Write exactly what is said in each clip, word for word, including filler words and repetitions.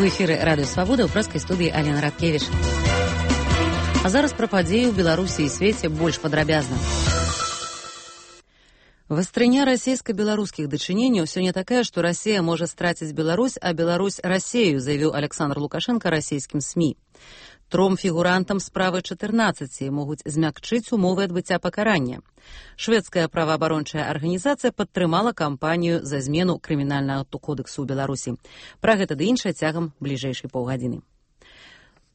эфіры радыё Свабода, ў прэскай студыі Алена Радкевіч. А зараз пра падзеі ў Беларусі і свеце больш падрабязна. Вастрыня расійска-беларускіх дачыненняў сёння такая, што Расія можа страціць Беларусь, а Беларусь Расею, заявіў Александр Лукашенко расійскім СМІ. Тром фігурантам справы чатырнаццаці могуць змякчыць умовы адбыцця пакарання. Шведская праваабарончая арганізацыя падтрымала кампанію за змену крымінальнага кодэксу ў Беларусі. Пра гэта ды іншае цягам бліжэйшай паўгадзіны.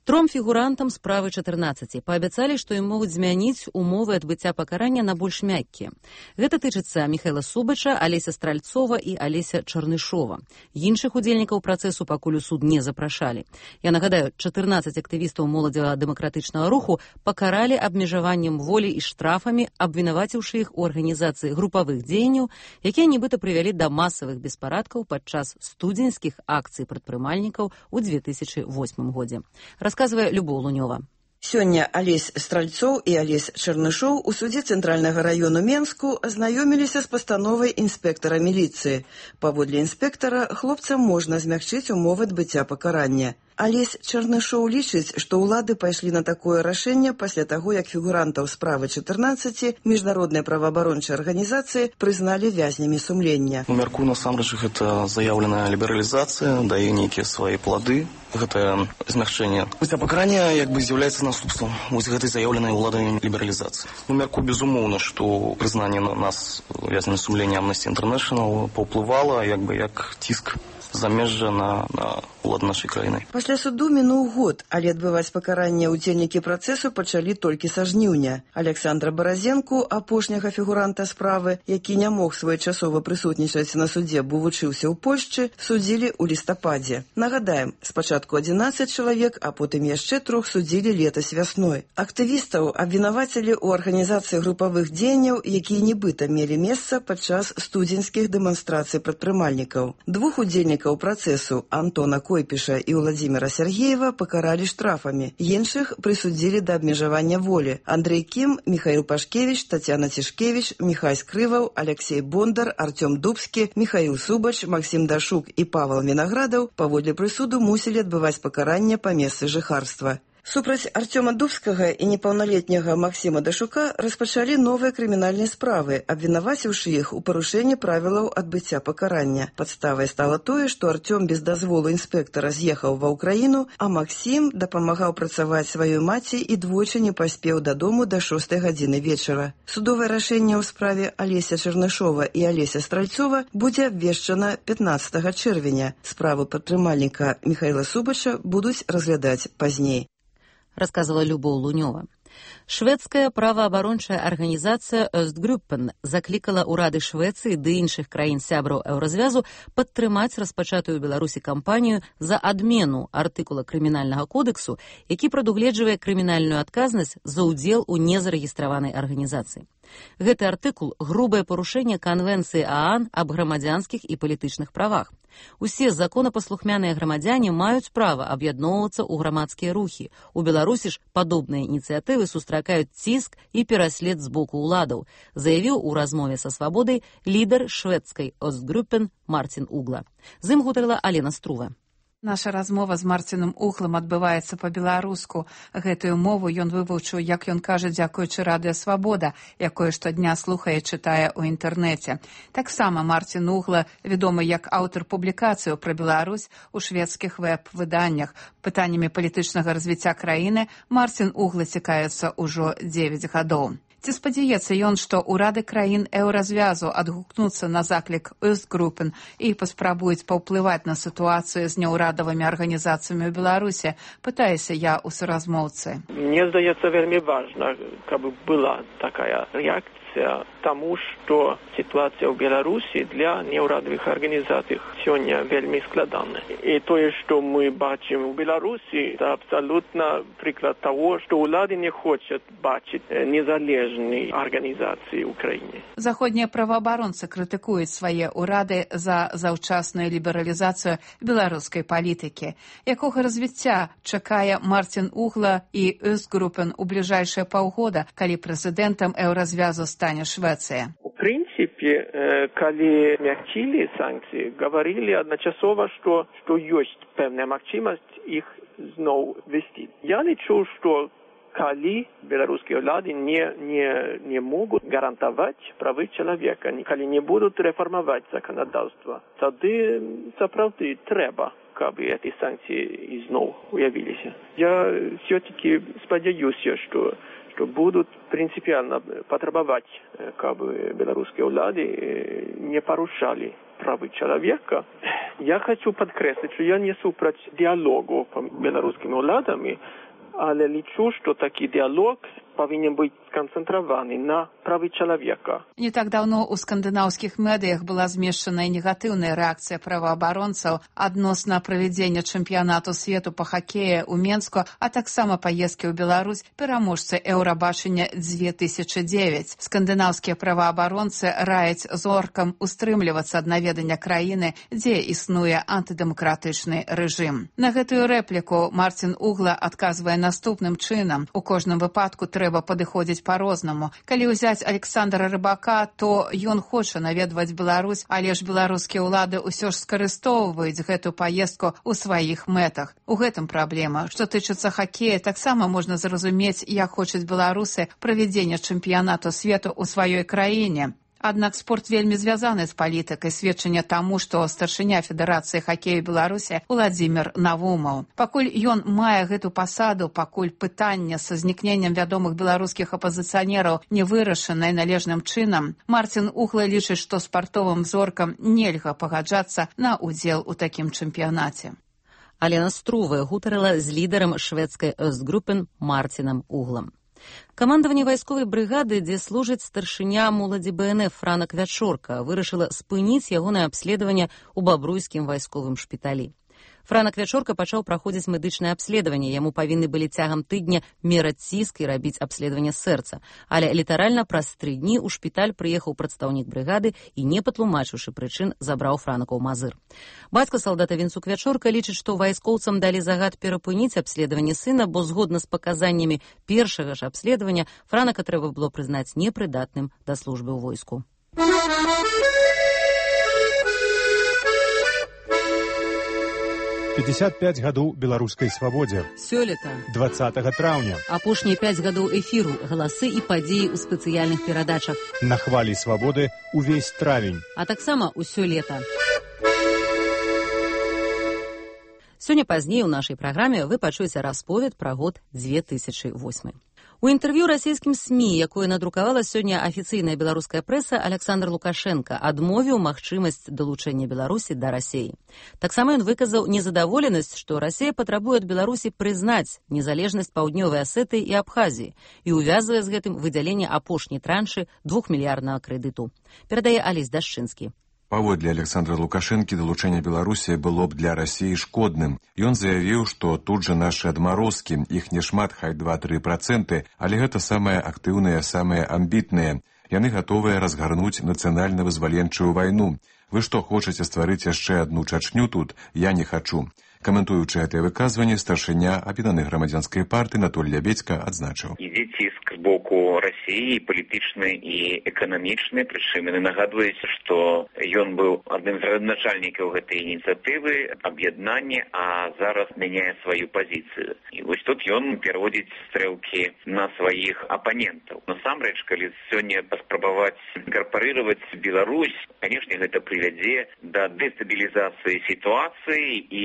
Тром фігурантам справы чатырнаццаці паабяцалі, што ім могуць змяніць умовы адбыцця пакарання на больш мяккія. Гэта тычыцца Міхайла Субача, Алеся Стральцова і Алеся Чарнышова. Іншых удзельнікаў працэсу пакуль у суд не запрашалі. Я нагадаю, чатырнаццаць актывістаў моладзева-дэмакратычнага руху пакаралі абмежаваннем волі і штрафамі, абвінаваціўшы іх у арганізацыі групавых дзеянняў, якія нібыта прывялі да масавых беспарадкаў падчас студзеньскіх акцый прадпрымальнікаў у дзве тысячы восьмым годзе. Расказвае Любоў Лунёва. Сёння Алесь Стральцоў і Алесь Чарнышоў у судзе Цэнтральнага раёну Менску азнаёміліся з пастановай інспектара міліцыі. Паводле інспектара хлопцам можна змякчыць умовы адбыцця пакарання. Алесь Чарнышоў лічыць, што ўлады пайшлі на такое рашэнне пасля таго, як фігурантаў справы чатырнаццаці міжнароднай праваабарончай арганізацыі прызналі вязнямі сумлення. У мярку насамрэч гэта заяўленая лібералізацыя, дае нейкія свае плады. Гэта змягчэнне адбыцця пакарання як бы з'яўляецца наступствам вось гэтай заяўленай уладамі лібералізацыі. У мярку безумоўна, што прызнанне на нас вязнямі сумлення Amnesty International паўплывала як бы як ціск замежжа на, на ўлады нашай краіны. Пасля суду мінуў год, але адбываць пакаранне ўдзельнікі працэсу пачалі толькі са жніўня. Александра Баразенку, апошняга фігуранта справы, які не мог своечасова прысутнічаць на судзе, бо вучыўся ў Польшчы, судзілі ў лістападзе. Нагадаем, спачатку адзінаццаць чалавек, а потым яшчэ трох судзілі летась вясной. Актывістаў абвінавацілі ў арганізацыі групавых дзеянняў, якія нібыта мелі месца падчас студзеньскіх дэманстрацый прадпрымальнікаў. Двух удзельнікаў працэсу Антона Койпіша і Владзіміра Сергеева пакаралі штрафамі. Іншых прысудзілі да абмежавання волі. Андрэй Кім, Міхаіл Пашкевіч, Тацяна Цішкевіч, Міхай Скрываў, Алексей Бондар, Артём Дубскі, Міхаіл Субач, Максім Дашук і Павел Вінаградаў паводле прысуду мусілі адбываць пакаранне па месцы жыхарства. Супраць Артёма Дубскага і непаўналетняга Максіма Дашука распачалі новыя крымінальныя справы, абвінаваціўшы іх у парушэнні правілаў адбыцця пакарання. Падставай стала тое, што Артём без дазволу інспектара з'ехаў ва ўкраіну, а Максім дапамагаў працаваць сваёй маці і двойчы не паспеў дадому да шостай гадзіны вечара. Судовае рашэнне ў справе Алеся Чарнышова і Алеся Стральцова будзе абвешчана пятнаццатага чэрвеня. Справу падтрымальніка Міхайла Субача будуць разглядаць пазней. Рассказывала Любоў Лунёва. Шведская праваабарончая арганізацыя Östgruppen заклікала ўрады Швецыі ды іншых краін сябраў еўразвязу падтрымаць распачатую ў Беларусі кампанію за адмену артыкула крымінальнага кодэксу, які прадугледжвае крымінальную адказнасць за ўдзел у незарэгістраванай арганізацыі. Гэты артыкул – грубае парушэнне Канвенцыі ААН аб грамадзянскіх і палітычных правах. Усе законапаслухмяныя грамадзяне маюць права аб'ядноўвацца ў грамадскія рухі. У Беларусі ж падобныя ініцыятывы сустракаюць ціск і пераслед з боку ўладаў, заявіў у размове са Свабодай лідар шведскай Östgruppen Мартин Угла. З ім гутарыла Алена Струва. Наша размова з Марціном Углам адбываецца па-беларуску. Гэтую мову ён вывучыў, як ён кажа, дзякуючы радыё Свабода, якое штодня слухае і чытае ў інтэрнэце. Таксама Марцін Угла вядомы як аўтар публікацыяў пра Беларусь у шведскіх вэб-выданнях. Пытаннямі палітычнага развіцця краіны Марцін Угла цікавіцца ўжо дзевяць гадоў. Ці спадзяецца ён, што ўрады краін еўразвязу адгукнуцца на заклік Östgruppen і паспрабуюць паўплываць на сітуацыю з няўрадавымі арганізацыямі ў Беларусі, пытаюся я ў суразмоўцы. Мне здаецца вельмі важна, каб была такая рэакцыя таму, што сітуацыя ў Беларусі для няўрадавых арганізацый сёння вельмі складана. І тое, што мы бачым у Беларусі, це абсалютна прыклад таго, што ўлады не хочуць бачыць незалежнай арганізацыі ў краіне. Заходнія праваабаронцы крытыкуюць свае ўрады за заўчасную лібералізацыю беларускай палітыкі. Якога развіцця чакае Марцін Угла і Östgruppen у бліжэйшыя паўгода, калі прэзідэнтам еўразвязу стане Швецыя? У прынцыпе, принципе, когда мягчили санкции, говорили одночасово, что, что есть певная мягчимость их снова ввести. Я лечу, что коли белорусские власти не, не, не могут гарантовать права человека, коли не будут реформовать законодательство, тогда, правда, треба, как бы эти санкции снова уявились. Я все-таки сподеюсь, что, что будут принципиально потребовать, как бы белорусские власти не порушали права человека. Я хочу подкреслить, что я несу против диалогу по белорусским властям, але лічу, что такой диалог повинен быть сконцентрированы на праве человека. Не так давно у скандынаўскіх медыях была змешчаная негатыўная рэакцыя праваабаронцаў адносна правядзення чэмпіянату свету па хакеі ў Менску, а таксама паездкі ў Беларусь пераможцы Еўрабачання две тысячи девять. Скандынаўскія праваабаронцы раяць зоркам устрымлівацца ад наведання краіны, дзе існуе антыдэмакратычны рэжым. На гэтую рэпліку Марцін Угла адказвае наступным чынам: у кожным выпадку трэба падыходзіць па-рознаму. Калі ўзяць Александра Рыбака, то ён хоча наведваць Беларусь, але ж беларускія ўлады ўсё ж скарыстоўваюць гэту паездку ў сваіх мэтах. У гэтым праблема. Што тычыцца хакея, таксама можна зразумець, як хочуць беларусы правядзення чэмпіянату свету ў сваёй краіне. Аднак спорт вельмі звязаны з палітыкай, сведчанне таму, што старшыня Федэрацыі хакею Беларусі Уладзімір Навумаў. Пакуль ён мае гэту пасаду, пакуль пытанне са знікненнем вядомых беларускіх апазіцыянераў не вырашанае належным чынам, Марцін Угла лічыць, што спартовым зоркам нельга пагаджацца на ўдзел у такім чэмпіянаце. Алена Струве гутарыла з лідарам шведскай Östgruppen Марцінам Углам. Камандаванне вайсковай брыгады, дзе служыць старшыня моладзі бэ эн эф Франак Вячорка, вырашыла спыніць ягонае абследаванне ў бабруйскім вайсковым шпіталі. Франак Вячорка пачаў праходзіць медычнае абследаванне. Яму павінны былі цягам тыдня мераць ціск і рабіць абследаванне сэрца. Але літаральна праз тры дні ў шпіталь прыехаў прадстаўнік брыгады і, не патлумачыўшы прычын, забраў Франака ў Мазыр. Бацька салдата Вінцук Вячорка лічыць, што вайскоўцам далі загад перапыніць абследаванне сына, бо згодна з паказаннямі першага ж абследавання Франака трэба было прызнаць непрыдатным да службы ў войску. пятьдесят пять гадоў беларускай свабодзе. Сёлета. двадцатага траўня. Апошнія пяць гадоў эфіру, галасы і падзеі ў спецыяльных перадачах. На хвалі свабоды увесь травень. А таксама ўсё лета. Сёння пазней у нашай праграме вы пачуеце расповед пра год две тысячи восьмы. У інтэрв'ю расійскім СМІ, якое надрукавала сёння афіцыйная беларуская прэса, Александр Лукашенко адмовіў магчымасць далучэння Беларусі да Расіі. Таксама ён выказаў незадаволенасць, што Расія патрабуе ад Беларусі прызнаць незалежнасць Паўднёвай Асетыі і Абхазіі і увязвае з гэтым выдзяленне апошняй траншы двухмільярднага крэдыту. Перадае Алесь Дашчынскі. Паводле Александра Лукашэнкі далучэнне Беларусі было б для Расіі шкодным. Ён заявіў, што тут жа нашы адмарозкі, іх не шмат, хай два-тры працэнты, але гэта самыя актыўныя, самыя амбітныя. Яны гатовыя разгарнуць нацыянальна-вызваленчую вайну. Вы што, хочаце стварыць яшчэ адну Чачню тут? Я не хачу. Каментуючы гэтае выказванне, старшыня аб'яднанай грамадзянскай партыі Анатоль Лябедзька адзначыў. Ідзе ціск з боку Расіі, палітычны і эканамічны, прычым яны нагадваюць, што ён быў адным з радначальнікаў гэтай ініцыятывы, аб'яднання, а зараз мяняе сваю пазіцыю. І вось тут ён пераводзіць стрэлкі на сваіх апанентаў. Насамрэч, калі сёння паспрабаваць інкарпарыраваць Беларусь, канешне, гэта прывядзе да дэстабілізацыі сітуацыі і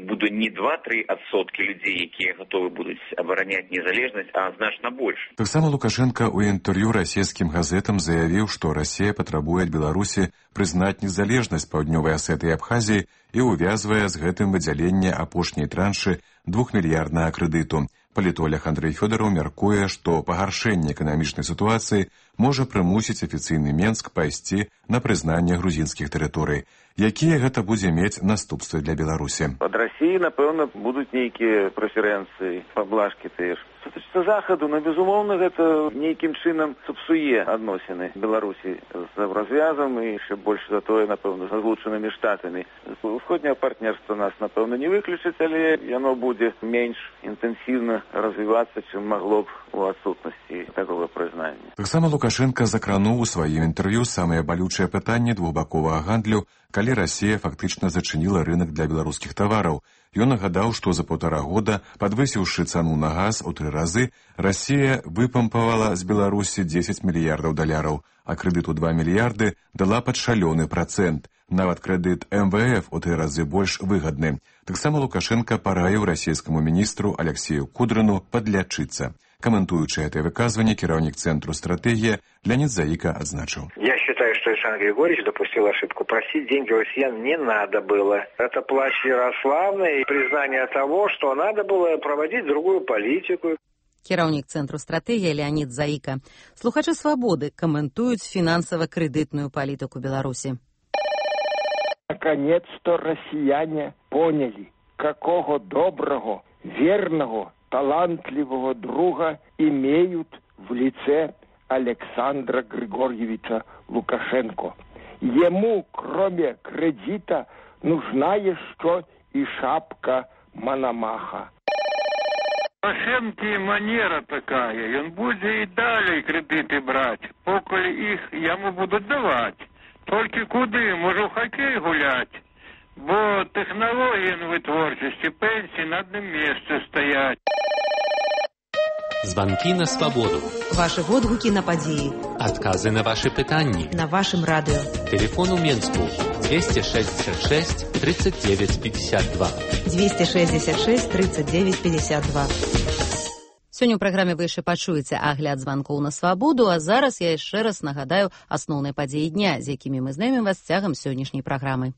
буду не два-тры адсоткі людзей, якія гатовы будуць абараняць незалежнасць, а значна больш. Таксама Лукашенко ў інтэрв'ю расійскім газетам заявіў, што Расія патрабуе ад Беларусі прызнаць незалежнасць Паўднёвай Асетыі і Абхазіі і увязвае з гэтым выдзяленне апошняй траншы двухмільярднага крэдыту. Палітолог Андрэй Фёдараў мяркуе, што пагаршэнне эканамічнай сітуацыі можа прымусіць афіцыйны Менск пайсці на прызнанне грузінскіх тэрыторый. Якія гэта будзе мець наступствы для Беларусі? Ад Расіі, напэўна, будуць нейкія прэферэнцыі, паблажкі тыя ж. Што тычыцца захаду, ну, безумоўна, гэта нейкім чынам сапсуе адносіны Беларусі з развязам і яшчэ больш за тое, напэўна, з злучанымі штатамі. Усходняе партнерства нас, напэўна, не выключыць, але яно будзе менш інтэнсіўна развівацца, чым магло б у адсутнасці такого прызнання. Таксама Лукашенко закрануў у сваім інтэрв'ю самае балючае пытанне двухбаковага гандлю, калі Расія фактычна зачыніла рынок для беларускіх тавараў. Ён нагадаў, што за паўтара года, падвысіўшы цану на газ у тры разы, Расія выпампавала з Беларусі дзесяць мільярдаў даляраў, а крэдыт у два мільярды дала пад шалёны працэнт. Нават крэдыт эм вэ эф у тры разы больш выгадны. Таксама Лукашенко параіў расійскаму міністру Алексею Кудрыну падлячыцца. Каментуючы это выказванне, кіраўнік Центру стратегія Леонид Заика отзначил. Я считаю, что Александр Григорьевич допустил ошибку. Просить деньги у россиян не надо было. Это плач Ярославны и признание того, что надо было проводить другую политику. Кіраўнік Центру стратегія Леонид Заика. Слухачы «Свободы» комментуют финансово-кредитную политику Беларуси. Наконец-то россияне поняли, какого доброго, верного, талантливого друга имеют в лице Александра Григорьевича Лукашенко. Ему, кроме кредита, нужна еще и шапка Мономаха. Лукашенко манера такая, он будет и далее кредиты брать, поколь их ему будут давать. Только куды, можу в хоккей гулять, бо технологии в вытворчости, пенсии на одном месте стоять. Звонки на свободу. Ваши водгуки на події. Отказы на ваши питания. На вашем радио. Телефон у Менску двести шестьдесят шесть тридцать девять пятьдесят два. двести шестьдесят шесть тридцать девять пятьдесят два. Сёння ў праграме вы яшчэ пачуеце агляд званкоў на свабоду, а зараз я яшчэ раз нагадаю асноўныя падзеі дня, з якімі мы знайомім вас цягам сённяшняй праграмы.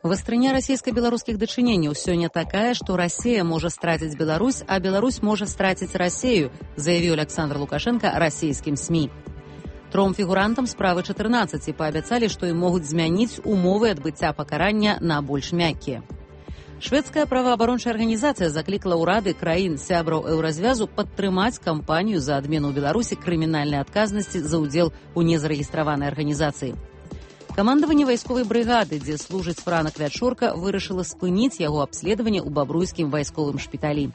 Вастрыня расійска-беларускіх дачыненняў сёння такая, што Расія можа страціць Беларусь, а Беларусь можа страціць Расею, заявіў Александр Лукашенко расійскім СМІ. Тром фігурантам справы чатырнаццаць паабяцалі, што ім могуць змяніць умовы адбыцця пакарання на больш мяккія. Шведская праваабарончая арганізацыя заклікала ўрады краін сябраў еўразвязу падтрымаць кампанію за адмену ў Беларусі крымінальнай адказнасці за ўдзел у незарэгістраванай арганізацыі. Камандаванне вайсковай брыгады, дзе служыць Франак Вячорка, вырашыла спыніць яго абследаванне ў бабруйскім вайсковым шпіталі.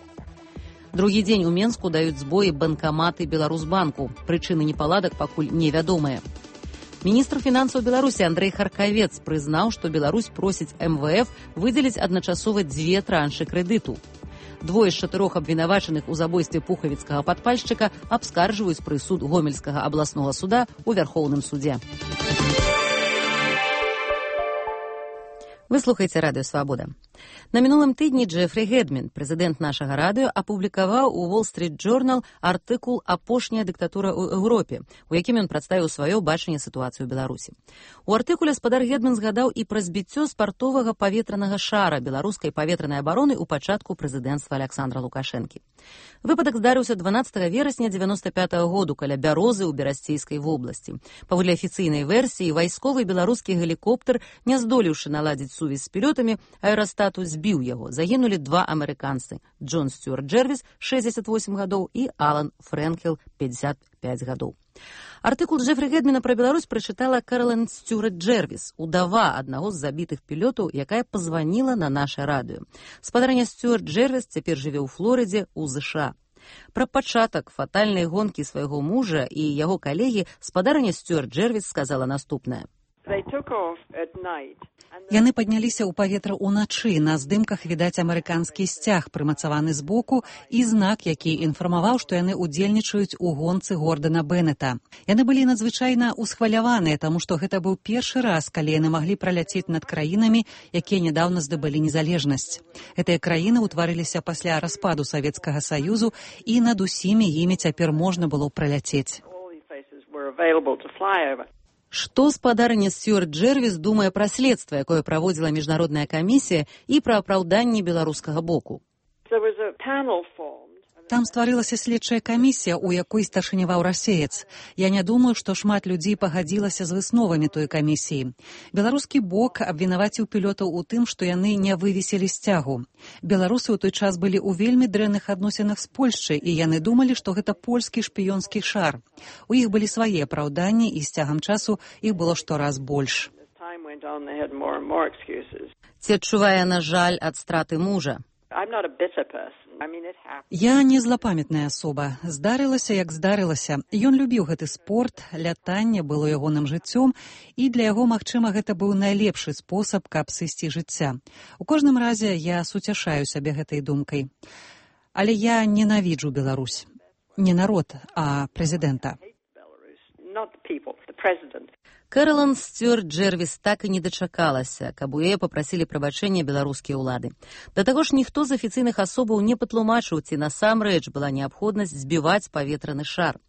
Другі дзень у Менску даюць збоі банкаматы Беларусбанку. Прычыны непаладак пакуль невядомыя. Міністр фінансаў Беларусі Андрэй Харкавец прызнаў, што Беларусь просіць эм вэ эф выдзеліць адначасова дзве траншы крэдыту. Двое з чатырох абвінавачаных у забойстве пухавіцкага падпальшчыка абскарджваюць прысуд Гомельскага абласнога суда ў Вярхоўным судзе. Вы слухаеце радыё «Свабода». На мінулым тыдні Джефрі Гэдмін, прэзідэнт нашага радыё, апублікаваў у Wall Street Journal артыкул «Апошняя дыктатура ў Еўропе», у якім ён прадставіў сваё бачанне сітуацыі ў Беларусі. У артыкуле спадар Гэдмін згадаў і пра збіццё спартовага паветранага шара беларускай паветранай абароны ў пачатку прэзідэнцтва Александра Лукашэнкі. Выпадак здарыўся дванаццатага верасня дзевяноста пятага году каля Бярозы ў Берасцейскай вобласці. Паводле афіцыйнай версіі, вайсковы беларускі гелікоптер, не здолеўшы наладзіць сувязь з пілётамі, аэрастату збіў яго. Загінулі два амерыканцы – Джон Стюарт Джэрвіс, шэсцьдзесят восем гадоў, і Алан Фрэнкел, пятьдесят пять гадоў. Артыкул Джефрі Гэдміна пра Беларусь прачытала Кэралайн Стюарт Джэрвіс, удава аднаго з забітых пілётаў, якая пазваніла на наша радыё. Спадарня Стюарт Джэрвіс цяпер жыве ў Флорыдзе, у ЗША. Пра пачатак фатальнай гонкі свайго мужа і яго калегі спадарня Стюарт Джэрвіс сказала наступнае. Яны падняліся ў паветра ўначы. На здымках відаць амерыканскі сцяг, прымацаваны збоку, і знак, які інфармаваў, што яны ўдзельнічаюць у гонцы Гордана Беннета. Яны былі надзвычайна ўсхваляваныя, таму што гэта быў першы раз, калі яны маглі праляцець над краінамі, якія нядаўна здабылі незалежнасць. Гэтыя краіны ўтварыліся пасля распаду Савецкага Саюзу, і над усімі імі цяпер можна было праляцець. Што спадарня Стюарт Джэрвіс думае пра следства, якое праводзіла міжнародная камісія, і пра апраўданне беларускага боку? Там стварылася следчая камісія, у якой старшыняваў расеец. Я не думаю, што шмат людзей пагадзілася з высновамі той камісіі. Беларускі бок абвінаваціў пілётаў у тым, што яны не вывесілі сцягу. Беларусы ў той час былі ў вельмі дрэнных адносінах з Польшчай, і яны думалі, што гэта польскі шпіёнскі шар. У іх былі свае апраўданні, і з цягам часу іх было штораз больш. Ці адчувае яна жаль ад страты мужа? Я не злапамятная асоба. Здарылася, як здарылася. Ён любіў гэты спорт, лятанне было ягоным жыццём, і для яго, магчыма, гэта быў найлепшы спосаб, каб сысці жыцця. У кожным разе я суцяшаю сябе гэтай думкай. Але я ненавіджу Беларусь. Не народ, а прэзідэнта. Кэролайн Стюарт Джэрвіс так і не дачакалася, каб у яе папрасілі прабачэння беларускія ўлады. Да таго ж ніхто з афіцыйных асобаў не патлумачыў, ці насамрэч была неабходнасць збіваць паветраны шар.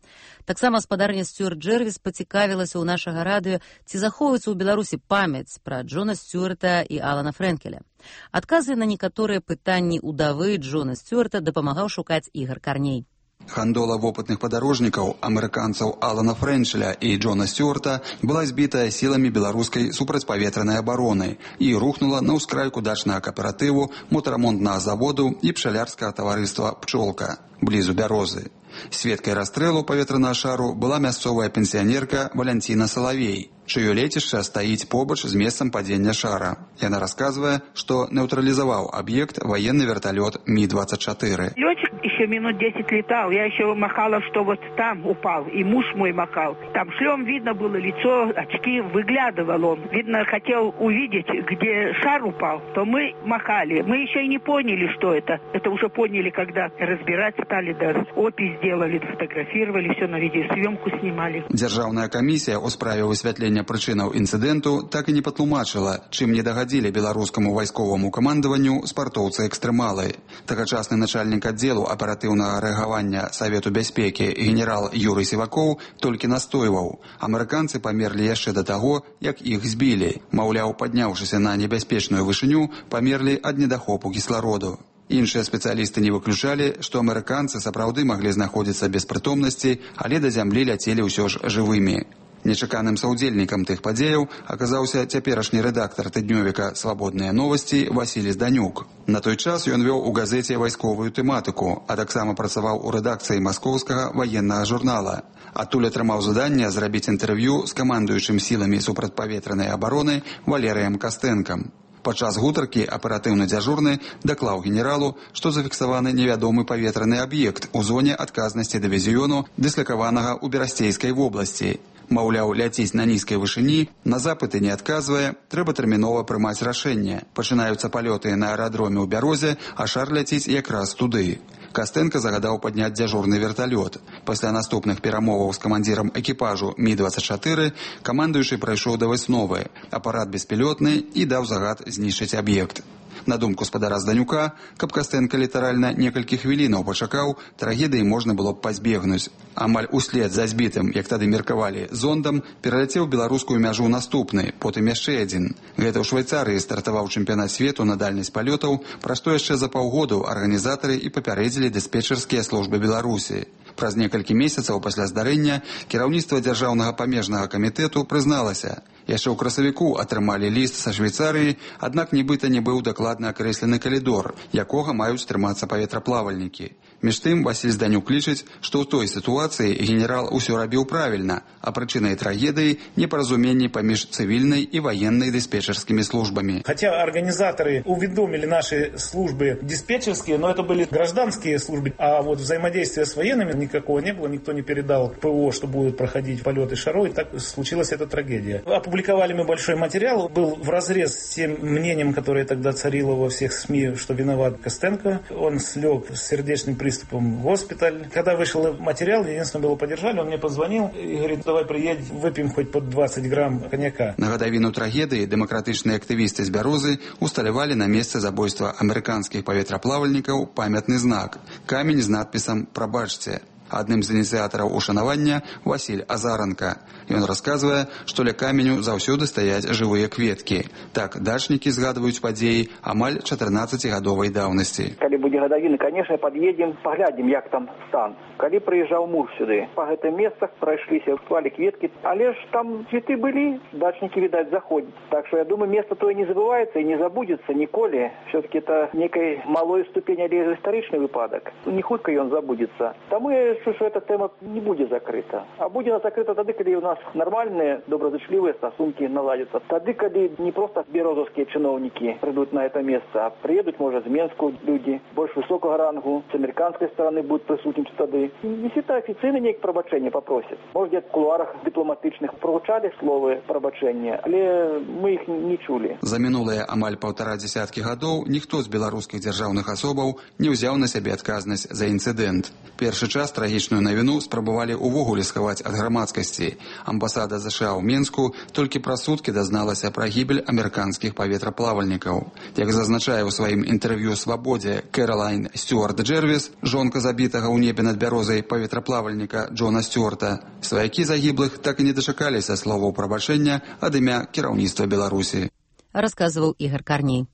Таксама спадарня Стюарт Джэрвіс пацікавілася ў нашага радыё, ці захоўваецца ў Беларусі памяць пра Джона Стюарта і Алана Фрэнкеля. Адказы на некаторыя пытанні ўдавы Джона Стюарта дапамагаў шукаць Ігар Карней. Гандола вопытных падарожнікаў, амерыканцаў Алана Фрэнчеля і Джона Стюарта была збітая сіламі беларускай супрацьпаветранай абароны і рухнула на ўскрайку дачнага кааператыву, мотарамонтнага заводу і пчалярскага таварыства «Пчолка» блізу Бярозы. Сведкай расстрэлу паветранага шару была мясцовая пенсіянерка Валянціна Салавей, чыё лецішча стаіць побач з месцам падзення шара. Яна расказвае, што нейтралізаваў аб'ект военный вертолет Ми двадцать четыре. Летчик еще минут десять летал, я еще махала, что вот там упал, и муж мой махал. Там шлем видно было лицо, очки, выглядывал он. Видно, хотел увидеть, где шар упал, то мы махали. Мы еще и не поняли, что это. Это уже поняли, когда разбирать стали, да, опись сделали, фотографировали, все на видеосъемку снимали. Дзяржаўная камісія ў справе высвятлення прычынаў інцыдэнту так і не патлумачыла, чым не дагадзілі беларускаму вайсковаму камандаванню спартоўцы-экстрэмалы. Тагачасны начальнік аддзелу аператыўнага рэагавання Савету бяспекі генерал Юрый Сівакоў толькі настойваў. Амерыканцы памерлі яшчэ да таго, як іх збілі. Маўляў, падняўшыся на небяспечную вышыню, памерлі ад недахопу кіслароду. Іншыя спецыялісты не выключалі, што амерыканцы сапраўды маглі знаходзіцца без прытомнасці, але да зямлі ляцелі ўсё ж жывымі. Нечаканым саўдзельнікам тых падзеяў аказаўся цяперашні рэдактар тыднёвіка «Свабодныя новасці» Васілій Зданюк. На той час ён вёў у газеце вайсковую тэматыку, а таксама працаваў у рэдакцыі маскоўскага ваеннага журнала. Адтуль атрымаў заданне зрабіць інтэрв'ю з камандуючым сіламі супрацьпаветранай абароны Валерыем Кастэнкам. Падчас гутаркі аператыўны дзяжурны даклаў генералу, што зафіксаваны невядомы паветраны аб'ект у зоне адказнасці дывізіёну, дыслакаванага ў Берасцейскай вобласці. Маўляў, ляціць на нізкай вышыні, на запыты не адказвае, трэба тэрмінова прымаць рашэнне. Пачынаюцца палёты на аэрадроме ў Бярозе, а шар ляціць якраз туды. Кастэнка загадаў падняць дзяжурны верталёт. Пасля наступных перамоваў з камандзірам экіпажу Ми двадцать четыре камандуючы прайшоў да высновы. Апарат беспілётны і даў загад знішчыць аб'ект. На думку спадара Зданюка, каб Кастэнка літаральна некалькі хвілінаў пачакаў, трагедыі можна было б пазбегнуць. Амаль услед за збітым, як тады меркавалі, зондам пераляцеў беларускую мяжу наступны, потым яшчэ адзін. Гэта ў Швайцарыі стартаваў чэмпіянат свету на дальнасць палётаў, пра што яшчэ за паўгоду арганізатары і папярэдзілі дыспетчарскія службы Беларусі. Праз некалькі месяцаў пасля здарэння кіраўніцтва дзяржаўнага памежнага камітэту прызналася. Яшчэ ў красавіку атрымалі ліст са Швейцарыі, аднак нібыта не быў дакладна акрэслены калідор, якога маюць трымацца паветраплавальнікі. Між тым, Васіль Зданюк лічыць, што ў той сітуацыі генерал усё рабіў правільна, а прычынай трагедыі непаразуменні паміж цывільнай і военной диспетчерскими службами. Хотя организаторы уведомили наши службы диспетчерские, но это были гражданские службы, а вот взаимодействия с военными никакого не было, никто не передал ПО, что будут проходить полеты шаров, и так случилась эта трагедия. Опубликовали мы большой материал, был вразрез с тем мнением, которое тогда царило во всех СМИ, что виноват Костенко. Он слег с сердечным приступом в госпиталь. Когда вышел материал, единственное, было поддержали, он мне позвонил и говорит, давай приедь, выпьем хоть под двадцать грамм коньяка. На гадавіну трагедыі дэмакратычныя актывісты з Бярозы усталявалі на месцы забойства амерыканскіх паветраплавальнікаў памятны знак – камень з надпісам «Прабачце». Адным з ініцыятараў ушанавання Васіль Азаранка. Ён расказвае, што ля каменю заўсёды стаяць жывыя кветкі. Так дачнікі згадваюць падзеі амаль чатырнаццацігадовай даўнасці. Калі будзе гадавіна, конечно, пад'едзем, паглядзім, як там стан. Калі прыязджаў муж сюды, па гэтым месцах прайшліся, клалі кветкі, але ж там цветы былі, дачнікі, відаць, заходзяць. Так што я думаю, место тое не забываецца і не забудзецца ніколі. Все-таки это некай малой ступень, але гістарычны выпадак. Не хутка ён забудзецца. Таму я лічу, що ця тема не буде закрита. А буде вона закрита тоді, коли у нас нормальні, доброзичливі стосунки наладяться. Тоді, коли не просто березовські чиновники прийдуть на це місце, а приїдуть, може, з Мінську люди, більш високого рангу, з американської сторони будуть присутні тоді. Якщо офіційно ніяк пробачення попросять. Може, в кулуарах дипломатичних прозвучали слови пробачення, але ми їх не чули. За мінулыя амаль паўтара дзесяткі гадоў ніхто з беларускіх дзяржаўных асобаў не ўзяў на сябе адказнасць за інцыдэнт. Першы час трагічную навіну спрабавалі ўвогуле схаваць ад грамадскасці. Амбасада ЗША ў Мінску толькі праз суткі дазналася пра гібель амерыканскіх паветраплавальнікаў. Як зазначае ў сваім інтэрв'ю «Свабодзе» Кэролайн Стюарт Джервіс, жонка забітага ў небе над бярозай паветраплавальніка Джона Стюарта, сваякі загіблых так і не дачакаліся словаў прабачэння ад імя кіраўніцтва Беларусі. Рассказывал Игорь Корней.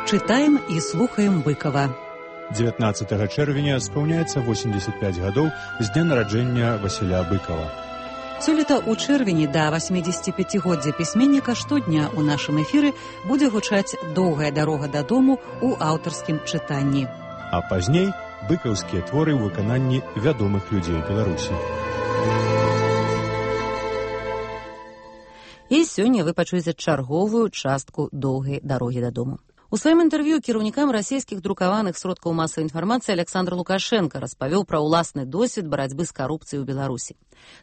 Читаем и слухаем Быкова. дзевятнаццатага чэрвеня спаўняецца восемьдесят пять гадоў з дня нараджэння Васіля Быкова. Сёлета ў чэрвені да восьмідзесятіпяцігоддзя пісьменніка штодня ў нашым эфіры будзе гучаць «Доўгая дарога дадому» ў аўтарскім чытанні. А пазней быкаўскія творы ў выкананні вядомых людзей Беларусі. І сёння вы пачуеце чарговую частку «Доўгай дарогі дадому». У сваім інтэрв'ю кіраўнікам расійскіх друкаваных сродкаў масавай інфармацыі Александр Лукашенко распавёў пра ўласны досвед барацьбы з карупцыяй у Беларусі.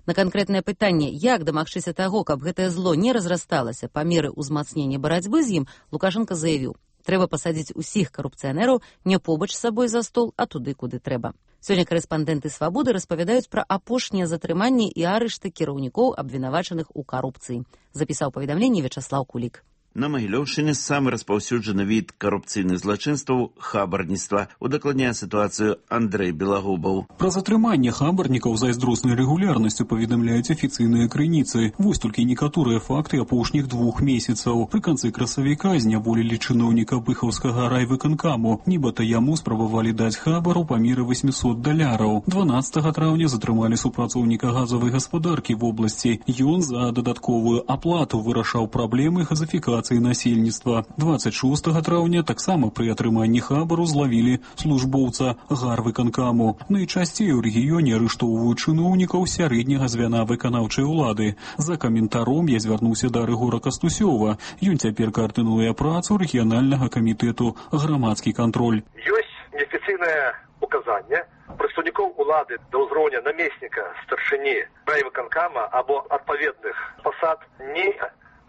На канкрэтнае пытанне, як дамагчыся таго, каб гэтае зло не разрасталася па меры ўзмацнення барацьбы з ім, Лукашенко заявіў: трэба пасадзіць усіх карупцыянераў не побач з сабой за стол, а туды, куды трэба. Сёння карэспандэнты «Свабоды» распавядаюць пра апошнія затрыманні і арышты кіраўнікоў, абвінавачаных у карупцыі. Запісаў паведамленне Вячаслаў Кулік. На Магілёўшчыне самы распаўсюджаны від карупцыйных злачынстваў хабарніцтва. Удакладняе сітуацыю Андрэй Белагубаў. Пра затрыманне хабарнікаў з айздроснай рэгулярнасцю паведамляюць афіцыйныя крыніцы. Вось толькі некаторыя факты апошніх двух месяцаў. Пры канцы красавіка зняволілі чыноўніка быхаўскага райвыканкаму. Нібыта яму спрабавалі даць хабару па меры восьмісот даляраў. дванаццатага траўня затрымалі супрацоўніка газавай гаспадаркі в обласці. Ён за дадатковую аплату вырашаў праблемы газафікацыі насельніцтва. дваццаць шостага траўня таксама пры атрыманні хабару злавілі службоўца гарвыканкаму. Найчасцей у рэгіёне арыштоўваюць чыноўнікаў сярэдняга звяна выканаўчай улады. За каментаром я звярнуўся да Рыгора Кастусёва. Ён цяпер каардынуе працу рэгіянальнага камітэту «Грамадскі кантроль». Ёсць неафіцыйнае указанне прадстаўнікоў улады да ўзроўня намесніка старшыні райвыканкама або адпаведных пасад не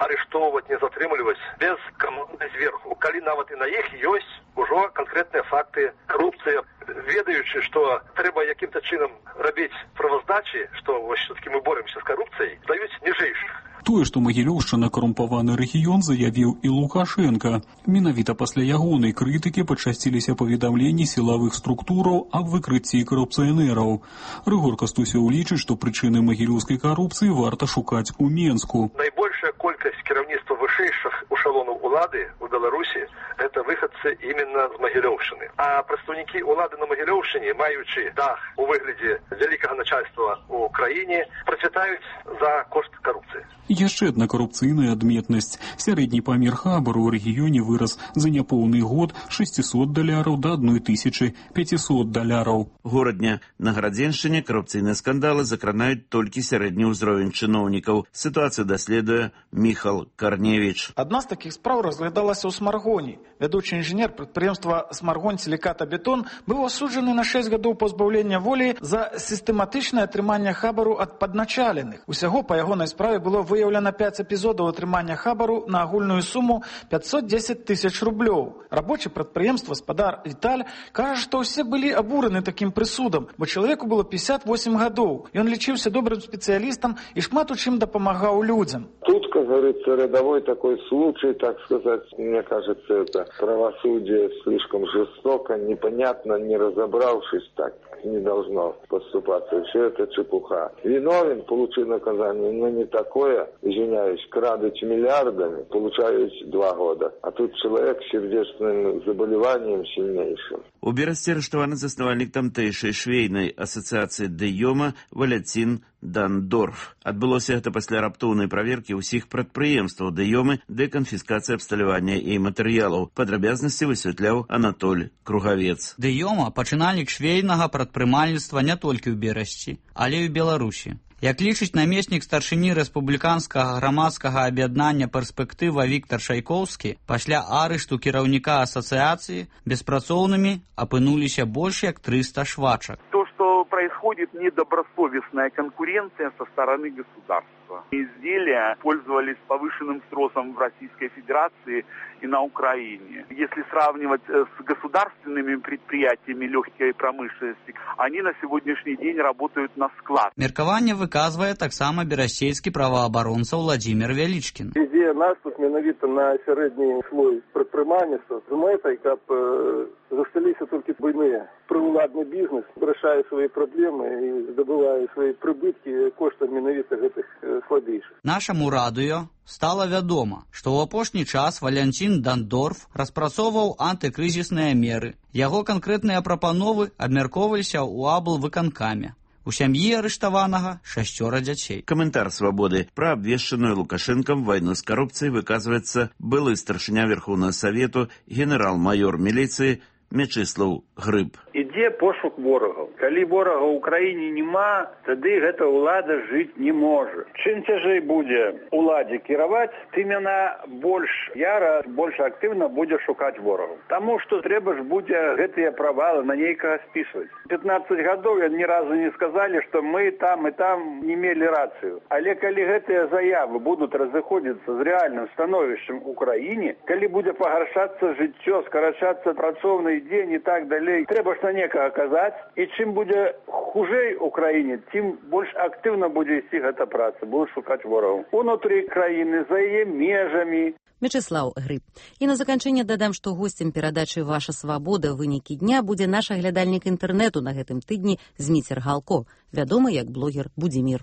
арыштоўваць, не затрымліваць без каманды зверху. Калі нават і на іх ёсць ужо канкрэтныя факты карупцыі, ведаючы, што трэба якім-то чынам рабіць праваздачы, што вось все-таки мы боремся з карупцыяй, даюць ніжэйшых. Тое, што Магілёўшчына карумпаваны рэгіён, заявіў і Лукашенко. Менавіта пасля ягонай крытыкі пачасціліся паведамленні сілавых структураў аб выкрыцці карупцыянераў. Рыгор Кастусёў лічыць, што прычыны магілёўскай карупцыі варта шукаць у Менску. Найбольшая колькасць кіраўніцтва вышэйшых эшалонаў улады ў Беларусі гэта выхадцы именно з Магілёўшчыны. А прадстаўнікі улады на Магілёўшчыне, маючы дах у выглядзе вялікага начальства ў краіне, працвітаюць за кошт карупцыі. Яшчэ адна карупцыйная адметнасць. Сярэдні памер хабару ў рэгіёне вырас за няпоўны год шэсцісот даляраў да адной тысячы пяцісот даляраў. Горадня на Гарадзеншчыне карупцыйныя скандалы закранаюць толькі сярэдні ўзровень чыноўнікаў. Сітуацыю даследуе Міхал Карневіч. Адна з такіх спраў разглядалася ў Смаргоні. Вядучы інжынер прадпрыемства «Смаргон Сіліката-Бетон» быў асуджаны на шэсць гадоў пазбаўлення волі за сістэматычнае атрыманне хабару ад падначаленых. Усяго па ягонай справе было выяўлена пяць эпізодаў атрымання хабару на агульную суму пятьсот десять тысяч рублёў. Рабочы прадпрыемства спадар Віталь кажа, што ўсе былі абураны такім прысудам, бо чалавеку было пятьдесят восемь гадоў. Ён лічыўся добрым спецыялістам і шмат у чым дапамагаў людзям. Тут, как говорится, рядовой такой случай, так сказать, мне кажется, это правосудие слишком жестоко, непонятно, не разобравшись так. так не должно поступаться. Все это чепуха. Виновен, получил наказание, но не такое, извиняюсь, крадуть миллиардами, получают два года. А тут человек с сердечным заболеванием сильнейшим. У Берасці арыштаваны заснавальнік тамтэйшай швейнай асацыяцыі дэёма Валяцін Дандорф. Адбылося гэта пасля раптоўнай праверкі ўсіх прадпрыемстваў дэёмы ды канфіскацыі абсталявання і матэрыялаў. Падрабязнасці высвятляў Анатоль Кругавец. Дэёма пачынальнік швейнага прадпрымальніцтва не толькі ў Берасці, але і ў Беларусі. Як лічыць намеснік старшыні рэспубліканскага грамадскага аб'яднання «Перспектыва» Віктор Шайкоўскі, пасля арышту кіраўніка асацыяцыі беспрацоўнымі апынуліся больш як трыста швачак. То, что происходит недобросовестная конкуренция со стороны государства. Изделия пользовались повышенным спросом в Российской Федерации и на Украине. Если сравнивать с государственными предприятиями легкой промышленности, они на сегодняшний день работают на склад. Меркаванне выказвае таксама берасцейскі праваабаронца Владимир Вялічкін. Ідзея наступ менавіта на сярэдні слой прадпрымальніцтва з мэтай, каб э, засталіся толькі буйныя. Прыўладны бізнес вырашае свае праблемы і здабывае свае прыбыткі коштам менавіта гэтых э, слабейшых. Нашаму радыё стала вядома, што ў апошні час Валянцін Дандорф распрацоўваў антыкрызісныя меры. Яго канкрэтныя прапановы абмяркоўваліся ў аблвыканкаме. У сям'і арыштаванага шасцёра дзяцей. Каментар «Свабоды» пра абвешчаную Лукашэнкам вайну з карупцыяй выказваецца былы старшыня Верхоўнага Савету генерал-майор міліцыі Мячыслаў Грыб. Ідзе пошук ворагаў. Калі ворага ў краіне няма, тады гэта ўлада жыць не можа. Чым цяжэй будзе уладзе кіраваць, тым яна больш яра, больш актыўна будзе шукаць ворагаў. Таму што трэба ж будзе гэтыя правалы на нейкага спісваць. пятнаццаць гадоў ні разу не сказалі, што мы там і там не мелі рацыю. Але калі гэтыя заявы будуць разыходзіцца з рэальным становішчам у краіне, калі будзе пагаршацца жыццё, скарачацца працоўны дзень і так далей, трэба ж на некага казаць, і чым будзе хужэй у краіне, тым больш актыўна будзе ісці гэта праца, будуць шукаць ворагаў унутры краіны, за яе межамі. Мячыслаў Грыб. І на заканчэнне дадам, што госцем перадачы «Ваша свабода. Вынікі дня» будзе наш аглядальнік інтэрнэту на гэтым тыдні Зміцер Галко, вядомы як блогер Будзімір.